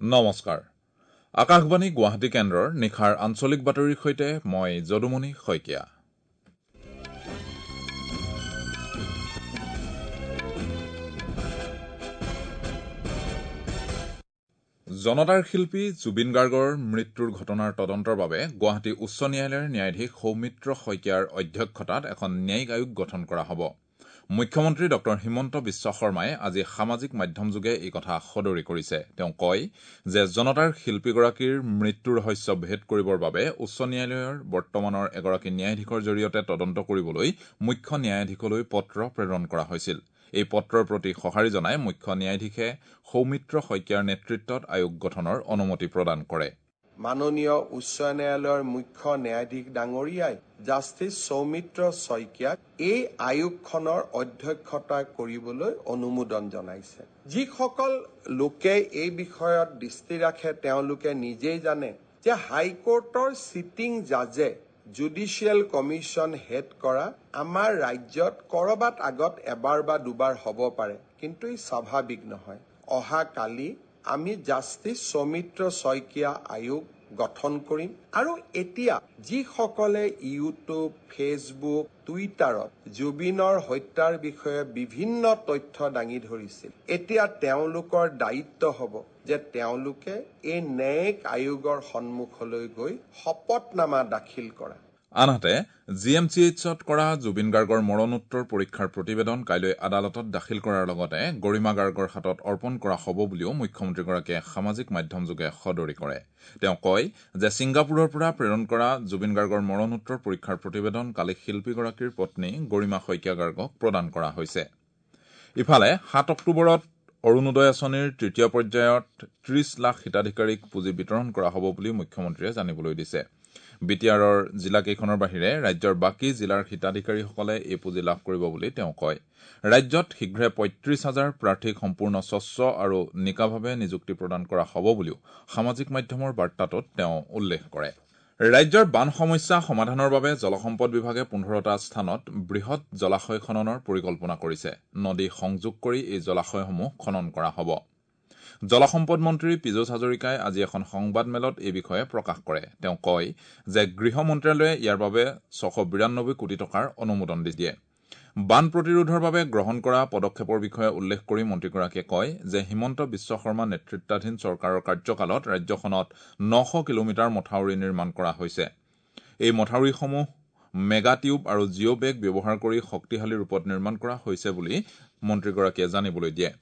নমস্কাৰ। আকাশবাণী গুৱাহাটী কেন্দ্ৰৰ নিশাৰ আঞ্চলিক বাতৰিৰ সৈতে মই যদুমণি শইকীয়া। জনতাৰ শিল্পী জুবিন গাৰ্গৰ মৃত্যুৰ ঘটনাৰ তদন্তৰ বাবে গুৱাহাটী উচ্চ ন্যায়ালয়ৰ ন্যায়াধীশ সৌমিত্ৰ শইকীয়াৰ অধ্যক্ষতাত এখন ন্যায়িক আয়োগ গঠন কৰা হ'ব। মুখ্যমন্ত্ৰী ডঃ হিমন্ত বিশ্ব শৰ্মাই আজি সামাজিক মাধ্যমযোগে এই কথা সদৰি কৰিছে। তেওঁ কয় যে জনতাৰ শিল্পীগৰাকীৰ মৃত্যুৰ ৰহস্য ভেদ কৰিবৰ বাবে উচ্চ ন্যায়ালয়ৰ বৰ্তমানৰ এগৰাকী ন্যায়াধীশৰ জৰিয়তে তদন্ত কৰিবলৈ মুখ্য ন্যায়াধীশলৈ পত্ৰ প্ৰেৰণ কৰা হৈছিল। এই পত্ৰৰ প্ৰতি সঁহাৰি জনাই মুখ্য ন্যায়াধীশে সৌমিত্ৰ শইকীয়াৰ নেতৃত্বত আয়োগ গঠনৰ অনুমতি প্ৰদান কৰে। মাননীয় উচ্চ ন্যায়ালয়ৰ মুখ্য ন্যায়াধীশ ডাঙৰীয়াই জাষ্টিছ সৌমিত্ৰ শইকীয়াক এই আয়োগখনৰ অধ্যক্ষতা কৰিবলৈ অনুমোদন জনাইছে। যিসকল লোকে এই বিষয়ত দৃষ্টি ৰাখে তেওঁলোকে নিজেই জানে যে হাইকোৰ্টৰ চিটিং জাজে জুডিচিয়েল কমিশ্যন হেড কৰা আমাৰ ৰাজ্যত কৰবাত আগত এবাৰ বা দুবাৰ হ'ব পাৰে, কিন্তু ই স্বাভাৱিক নহয়। অহাকালি আমি জাষ্টিছ সৌমিত্ৰ শইকীয়া আয়োগ গঠন কৰিম আৰু এতিয়া যিসকলে ইউটিউব, ফেচবুক, টুইটাৰত জুবিনৰ হত্যাৰ বিষয়ে বিভিন্ন তথ্য দাঙি ধৰিছিল, এতিয়া তেওঁলোকৰ দায়িত্ব হ'ব যে তেওঁলোকে এই ন্যায়িক আয়োগৰ সন্মুখলৈ গৈ শপতনামা দাখিল কৰা। আনহাতে জি এম চি এইচত কৰা জুবিন গাৰ্গৰ মৰণোত্তৰ পৰীক্ষাৰ প্ৰতিবেদন কাইলৈ আদালতত দাখিল কৰাৰ লগতে গৰিমা গাৰ্গৰ হাতত অৰ্পণ কৰা হ'ব বুলিও মুখ্যমন্ত্ৰীগৰাকীয়ে সামাজিক মাধ্যমযোগে সদৰি কৰে। তেওঁ কয় যে ছিংগাপুৰৰ পৰা প্ৰেৰণ কৰা জুবিন গাৰ্গৰ মৰণোত্তৰ পৰীক্ষাৰ প্ৰতিবেদন কালি শিল্পীগৰাকীৰ পত্নী গৰিমা শইকীয়া গাৰ্গক প্ৰদান কৰা হৈছে। ইফালে 7 অক্টোবৰত অৰুণোদয় আঁচনিৰ তৃতীয় পৰ্যায়ত 30 লাখ হিতাধিকাৰীক পুঁজি বিতৰণ কৰা হ'ব বুলি মুখ্যমন্ত্ৰীয়ে জানিবলৈ দিছে। বি টি আৰৰ জিলাকেইখনৰ বাহিৰে ৰাজ্যৰ বাকী জিলাৰ হিতাধিকাৰীসকলে এই পুঁজি লাভ কৰিব বুলি তেওঁ কয়। ৰাজ্যত শীঘ্ৰে 35 হাজাৰ প্ৰাৰ্থীক সম্পূৰ্ণ স্বচ্ছ আৰু নিকাভাৱে নিযুক্তি প্ৰদান কৰা হ'ব বুলিও সামাজিক মাধ্যমৰ বাৰ্তাটোত তেওঁ উল্লেখ কৰে। ৰাজ্যৰ বান সমস্যা সমাধানৰ বাবে জলসম্পদ বিভাগে 15টা স্থানত বৃহৎ জলাশয় খননৰ পৰিকল্পনা কৰিছে। নদী সংযোগ কৰি এই জলাশয়সমূহ খনন কৰা হ'ব। জলসম্পদ মন্ত্ৰী পীযুষ হাজৰিকাই আজি এখন সংবাদমেলত এই বিষয়ে প্ৰকাশ কৰে। তেওঁ কয় যে গৃহ মন্ত্ৰালয়ে ইয়াৰ বাবে 692 কোটি টকাৰ অনুমোদন দিয়ে। বান প্ৰতিৰোধৰ বাবে গ্ৰহণ কৰা পদক্ষেপৰ বিষয়ে উল্লেখ কৰি মন্ত্ৰীগৰাকীয়ে কয় যে হিমন্ত বিশ্ব শৰ্মা নেতৃত্বাধীন চৰকাৰৰ কাৰ্যকালত ৰাজ্যখনত 900 কিলোমিটাৰ মথাউৰি নিৰ্মাণ কৰা হৈছে। এই মথাউৰিসমূহ মেগা টিউব আৰু জিঅ' বেগ ব্যৱহাৰ কৰি শক্তিশালী ৰূপত নিৰ্মাণ কৰা হৈছে বুলি মন্ত্ৰীগৰাকীয়ে জানিবলৈ দিয়ে।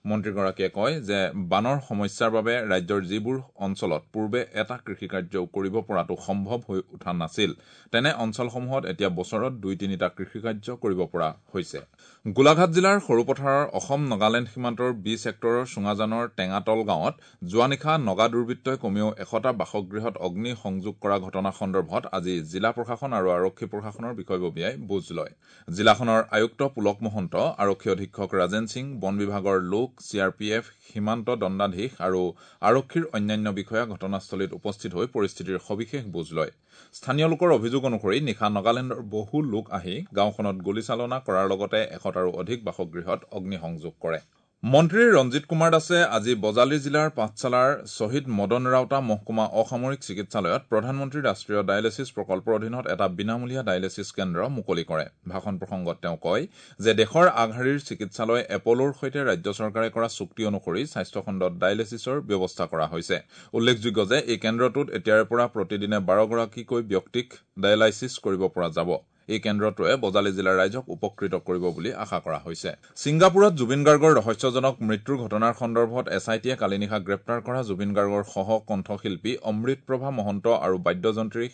মন্ত্ৰীগৰাকীয়ে কয় যে বানৰ সমস্যাৰ বাবে ৰাজ্যৰ যিবোৰ অঞ্চলত পূৰ্বে এটা কৃষিকাৰ্য কৰিব পৰাটো সম্ভৱ হৈ উঠা নাছিল, তেনে অঞ্চলসমূহত এতিয়া বছৰত 2-3টা কৃষিকাৰ্য কৰিব পৰা হৈছে। গোলাঘাট জিলাৰ সৰুপথাৰৰ অসম নাগালেণ্ড সীমান্তৰ বি ছেক্টৰৰ চুঙাজানৰ টেঙাতল গাঁৱত যোৱা নিশা নগা দুৰ্বৃত্তই কমেও 100টা বাসগৃহত অগ্নি সংযোগ কৰা ঘটনা সন্দৰ্ভত আজি জিলা প্ৰশাসন আৰু আৰক্ষী প্ৰশাসনৰ বিষয়ববীয়াই বুজ লয়। জিলাখনৰ আয়ুক্ত পুলক মহন্ত, আৰক্ষী অধীক্ষক ৰাজেন সিং, বন বিভাগৰ লোক, চি আৰ পি এফ, সীমান্ত দণ্ডাধীশ আৰু আৰক্ষীৰ অন্যান্য বিষয়া ঘটনাস্থলীত উপস্থিত হৈ পৰিস্থিতিৰ সবিশেষ বুজ লয়। স্থানীয় লোকৰ অভিযোগ অনুসৰি নিশা নাগালেণ্ডৰ বহু লোক আহি গাঁওখনত গুলীচালনা কৰাৰ লগতে 100টাৰো অধিক বাসগৃহত অগ্নিসংযোগ কৰে। মন্ত্ৰী ৰঞ্জিত কুমাৰ দাসে আজি বজালী জিলাৰ পাঠশালাৰ শ্বহীদ মদন ৰাউতা মহকুমা অসামৰিক চিকিৎসালয়ত প্ৰধানমন্ত্ৰী ৰাষ্ট্ৰীয় ডায়েলিছিছ প্ৰকল্পৰ অধীনত এটা বিনামূলীয়া ডায়েলিছিছ কেন্দ্ৰ মুকলি কৰে। ভাষণ প্ৰসংগত তেওঁ কয় যে দেশৰ আগশাৰীৰ চিকিৎসালয় এপ'লোৰ সৈতে ৰাজ্য চৰকাৰে কৰা চুক্তি অনুসৰি স্বাস্থ্যখণ্ডত ডায়েলিছিছৰ ব্যৱস্থা কৰা হৈছে। উল্লেখযোগ্য যে এই কেন্দ্ৰটোত এতিয়াৰে পৰা প্ৰতিদিনে 12গৰাকীকৈ ব্যক্তিক ডায়েলাইছিছ কৰিব পৰা যাব। এই কেন্দ্ৰটোৱে বজালী জিলাৰ ৰাইজক উপকৃত কৰিব বুলি আশা কৰা হৈছে। ছিংগাপুৰত জুবিন গাৰ্গৰ ৰহস্যজনক মৃত্যুৰ ঘটনাৰ সন্দৰ্ভত এছ I টিয়ে কালি নিশা গ্ৰেপ্তাৰ কৰা জুবিন গাৰ্গৰ সহ কণ্ঠশিল্পী অমৃতপ্ৰভা মহন্ত আৰু বাদ্যযন্ত্ৰী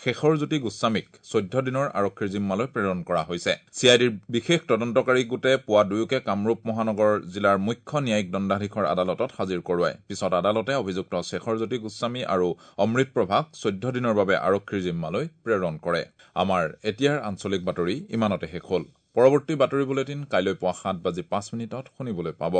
শেখৰজ্যোতি গোস্বামীক 14 দিনৰ আৰক্ষীৰ জিম্মালৈ প্ৰেৰণ কৰা হৈছে। চি I ডিৰ বিশেষ তদন্তকাৰী গোটে পুৱা দুয়োকে কামৰূপ মহানগৰ জিলাৰ মুখ্য ন্যায়িক দণ্ডাধীশৰ আদালতত হাজিৰ কৰোৱায়। পিছত আদালতে অভিযুক্ত শেখৰজ্যোতি গোস্বামী আৰু অমৃতপ্ৰভাক 14 দিনৰ বাবে আৰক্ষীৰ জিম্মালৈ প্ৰেৰণ কৰে। আমাৰ এতিয়াৰ আঞ্চলিক বাতৰি ইমানতে শেষ হ'ল। পৰৱৰ্তী বাতৰি বুলেটিন কাইলৈ পুৱা 7:05 শুনিবলৈ পাব।